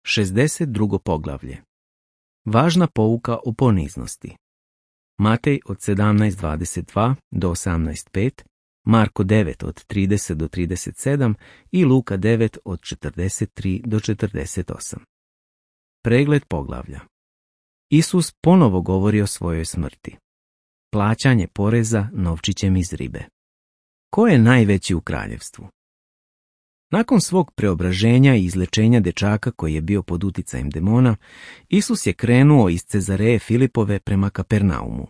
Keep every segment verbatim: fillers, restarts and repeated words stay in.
šezdeset drugo poglavlje. Važna pouka o poniznosti. Matej od sedamnaest dvadeset dva do osamnaest pet, Marko devet od trideset do trideset sedam i Luka devet od četrdeset tri do četrdeset osam. Pregled poglavlja. Isus ponovo govori o svojoj smrti. Plaćanje poreza novčićem iz ribe. Ko je najveći u kraljevstvu? Nakon svog preobraženja i izlečenja dečaka koji je bio pod uticajem demona, Isus je krenuo iz Cezareje Filipove prema Kapernaumu.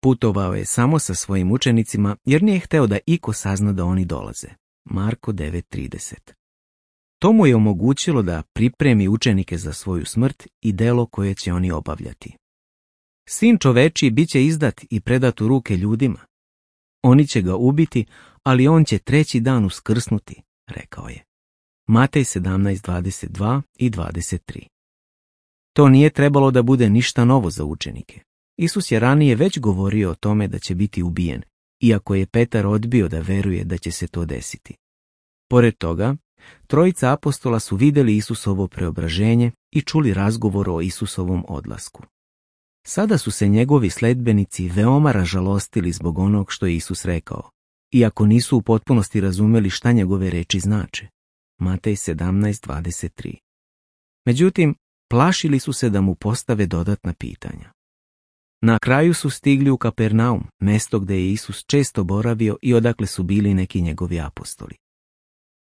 Putovao je samo sa svojim učenicima jer nije hteo da iko sazna da oni dolaze. Marko devet trideset. To mu je omogućilo da pripremi učenike za svoju smrt i delo koje će oni obavljati. Sin čovečiji bit će izdat i predat u ruke ljudima. Oni će ga ubiti, ali on će treći dan uskrsnuti, rekao je. Matej sedamnaest dvadeset dva i dvadeset tri. To nije trebalo da bude ništa novo za učenike. Isus je ranije već govorio o tome da će biti ubijen, iako je Petar odbio da veruje da će se to desiti. Pored toga, trojica apostola su vidjeli Isusovo preobraženje i čuli razgovor o Isusovom odlasku. Sada su se njegovi sledbenici veoma ražalostili zbog onog što je Isus rekao, iako nisu u potpunosti razumeli šta njegove reči znače. Matej sedamnaest dvadeset tri. Međutim, plašili su se da mu postave dodatna pitanja. Na kraju su stigli u Kapernaum, mesto gdje je Isus često boravio i odakle su bili neki njegovi apostoli.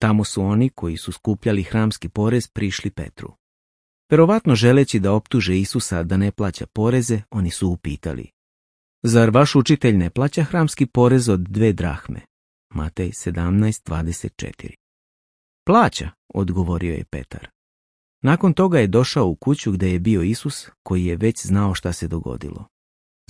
Tamo su oni koji su skupljali hramski porez prišli Petru. Verovatno želeći da optuže Isusa da ne plaća poreze, oni su upitali: Zar vaš učitelj ne plaća hramski porez od dve drahme? Matej sedamnaest dvadeset četiri. Plaća, odgovorio je Petar. Nakon toga je došao u kuću gdje je bio Isus, koji je već znao šta se dogodilo.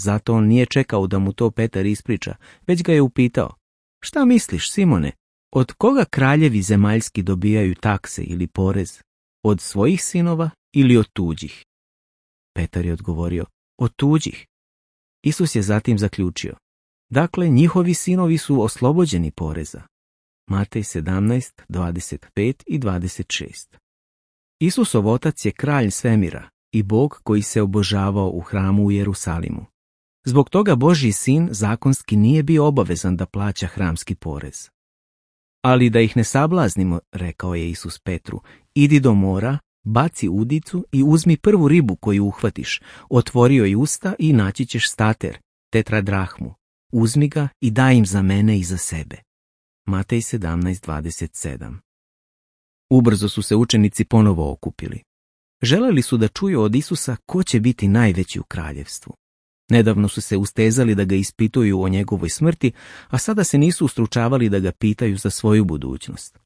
Zato on nije čekao da mu to Petar ispriča, već ga je upitao: Šta misliš, Simone, od koga kraljevi zemaljski dobijaju takse ili porez? Od svojih sinova ili od tuđih? Petar je odgovorio: Od tuđih. Isus je zatim zaključio: Dakle, njihovi sinovi su oslobođeni poreza. Matej sedamnaest dvadeset pet i dvadeset šest. Isusov otac je kralj svemira i Bog koji se obožavao u hramu u Jerusalimu. Zbog toga Božji sin zakonski nije bio obavezan da plaća hramski porez. Ali da ih ne sablaznimo, rekao je Isus Petru, idi do mora, baci udicu i uzmi prvu ribu koju uhvatiš, otvori joj usta i naći ćeš stater, tetradrahmu. Uzmi ga i daj im za mene i za sebe. Matej sedamnaest dvadeset sedam. Ubrzo su se učenici ponovo okupili. Želeli su da čuju od Isusa ko će biti najveći u kraljevstvu. Nedavno su se ustezali da ga ispituju o njegovoj smrti, a sada se nisu ustručavali da ga pitaju za svoju budućnost.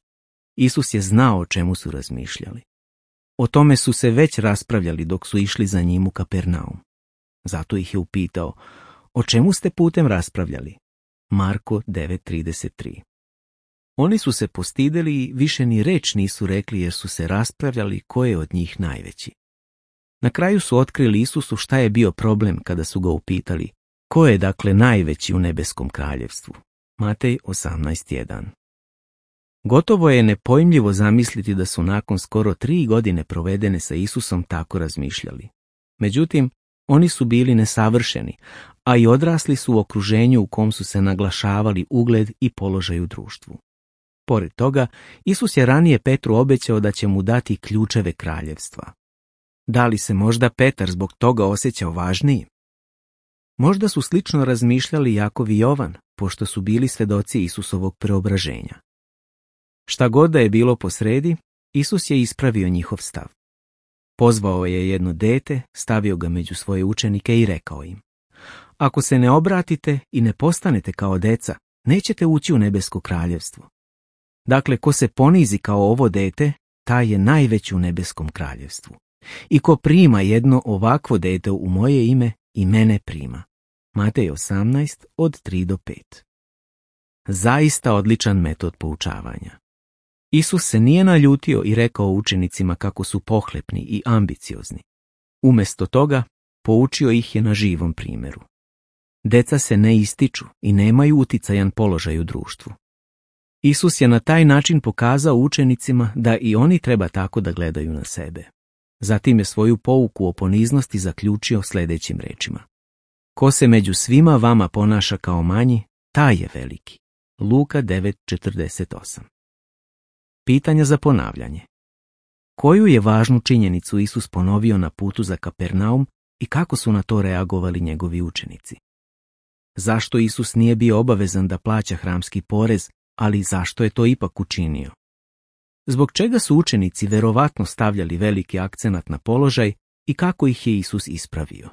Isus je znao o čemu su razmišljali. O tome su se već raspravljali dok su išli za njim u Kapernaum. Zato ih je upitao: O čemu ste putem raspravljali? Marko devet trideset tri. Oni su se postideli i više ni reč nisu rekli jer su se raspravljali ko je od njih najveći. Na kraju su otkrili Isusu šta je bio problem kada su ga upitali: Ko je dakle najveći u nebeskom kraljevstvu? Matej osamnaest jedan. Gotovo je nepojmljivo zamisliti da su nakon skoro tri godine provedene sa Isusom tako razmišljali. Međutim, oni su bili nesavršeni, a i odrasli su u okruženju u kom su se naglašavali ugled i položaj u društvu. Pored toga, Isus je ranije Petru obećao da će mu dati ključeve kraljevstva. Da li se možda Petar zbog toga osjećao važnijim? Možda su slično razmišljali Jakov i Jovan, pošto su bili svedoci Isusovog preobraženja. Šta god da je bilo posredi, Isus je ispravio njihov stav. Pozvao je jedno dete, stavio ga među svoje učenike i rekao im: Ako se ne obratite i ne postanete kao deca, nećete ući u nebesko kraljevstvo. Dakle, ko se ponizi kao ovo dete, taj je najveći u nebeskom kraljevstvu. I ko prima jedno ovakvo dete u moje ime, i mene prima. Matej osamnaest od tri do pet. Zaista odličan metod poučavanja. Isus se nije naljutio i rekao učenicima kako su pohlepni i ambiciozni. Umjesto toga, poučio ih je na živom primjeru. Deca se ne ističu i nemaju uticajan položaj u društvu. Isus je na taj način pokazao učenicima da i oni treba tako da gledaju na sebe. Zatim je svoju pouku o poniznosti zaključio sljedećim rečima. Ko se među svima vama ponaša kao manji, taj je veliki. Luka devet četrdeset osam. Pitanja za ponavljanje. Koju je važnu činjenicu Isus ponovio na putu za Kapernaum i kako su na to reagovali njegovi učenici? Zašto Isus nije bio obavezan da plaća hramski porez, ali zašto je to ipak učinio? Zbog čega su učenici verovatno stavljali veliki akcenat na položaj i kako ih je Isus ispravio?